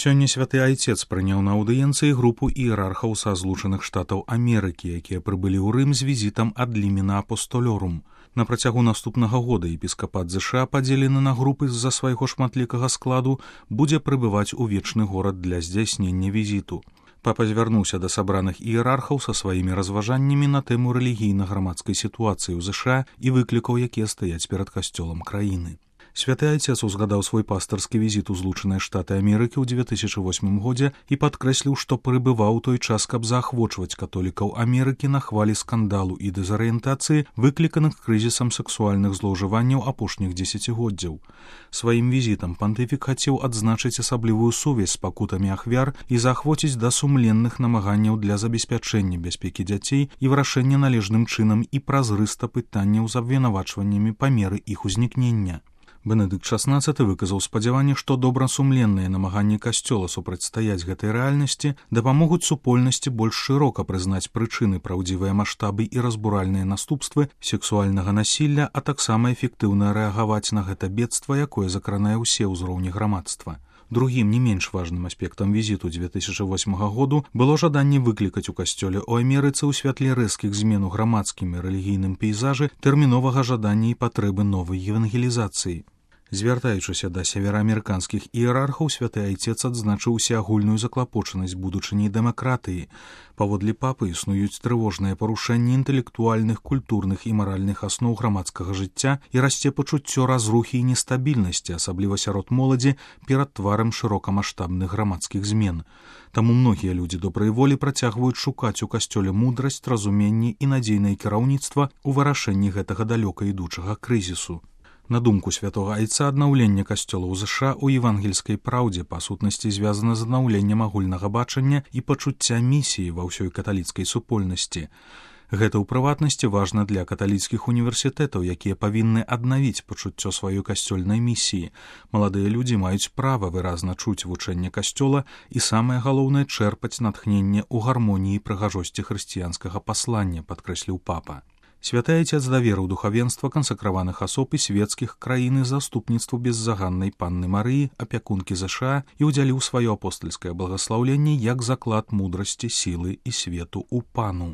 Сёння святы айцец прыняў на аўдыенцыі групу іерархаў са Злучаных Штатаў Амерыкі, якія прыбылі ў Рым з візітам ад Лімена Апостолёрум. На працягу наступнага года епіскапат ЗША, падзелены на групы з-за свайго шматлікага складу, будзе прыбываць у вечны горад для здзяйснення візіту. Папа звярнуўся да сабраных іерархаў са сваімі разважаннямі на тэму рэлігійна-грамадскай сітуацыі ў ЗША і выклікаў, якія стаяць перад касцёлам краіны. Святы айцец узгадаў свой пастарскі візіт у Злучаныя Штаты Амерыкі ў 2008 годзе і падкрэсліў, што прыбываў той час, каб заахвочваць католікаў Амерыкі на хвалі скандалу і дэзарыентацыі, выкліканых крызісам сексуальных злоўжыванняў апошніх дзесяцігоддзяў. Сваім візітам пантыфік хацеў адзначыць асаблівую сувязь з пакутамі ахвяр і заахвоціць да сумленных намаганняў для забеспячэння бяспекі дзяцей і вырашэння належным чынам і празрыста пытанняў з абвінавачваннямі па меры іх узнікнення. Бенедыкт XVI выказаў спадзяванне, што добрасумленныя намаганні касцёла супрацьстаяць гэтай рэальнасці дапамогуць супольнасці больш шырока прызнаць прычыны, праўдзівыя маштабы і разбуральныя наступствы сексуальнага насілля, а таксама эфектыўна рэагаваць на гэта бедства, якое закранае ўсе ўзроўні грамадства. Другім не менш важным аспектам візіту 2008 году было жаданне выклікаць у касцёле ў Амерыцы ў святле рэзкіх змен у грамадскім і рэлігійным пейзажы тэрміновага жадання і патрэбы новай евангелізацыі. Звяртаючыся да севераамерыканскіх іерархаў, святы айцец адзначыў усеагульную заклапочанасць будучыняй дэмакратыі. Паводле папы існуюць трывожныя парушэнні інтэлектуальных, культурных і маральных асноў грамадскага жыцця і расце пачуццё разрухі і нестабільнасці, асабліва сярод моладзі, перад тварам шырокамаштабных грамадскіх змен. Таму многія людзі добрай волі працягваюць шукаць у касцёле мудрасць, разуменне і надзейнае кіраўніцтва ў вырашэнні гэтага далёка ідучага крызісу. На думку святога айца, аднаўленне касцёла ў ЗША ў евангельскай праўдзе па сутнасці звязана з аднаўленнем агульнага бачання і пачуцця місіі ва ўсёй каталіцкай супольнасці. Гэта ў прыватнасці важна для каталіцкіх універсітэтаў, якія павінны аднавіць пачуццё сваёй касцёльнай місіі. Маладыя людзі маюць права выразна чуць вучэнне касцёла і, самае галоўнае, чэрпаць натхненне ў гармоніі і прыгажосці хрысціянскага паслання, падкрэсліў папа. Святы айцец даверыў духавенства кансакраваных асоб і свецкіх краін і заступніцтву беззаганнай панны Марыі, апякункі ЗША, і ўдзяліў сваё апостальскае благаслаўленне як заклад мудрасці, сілы і свету ў пану.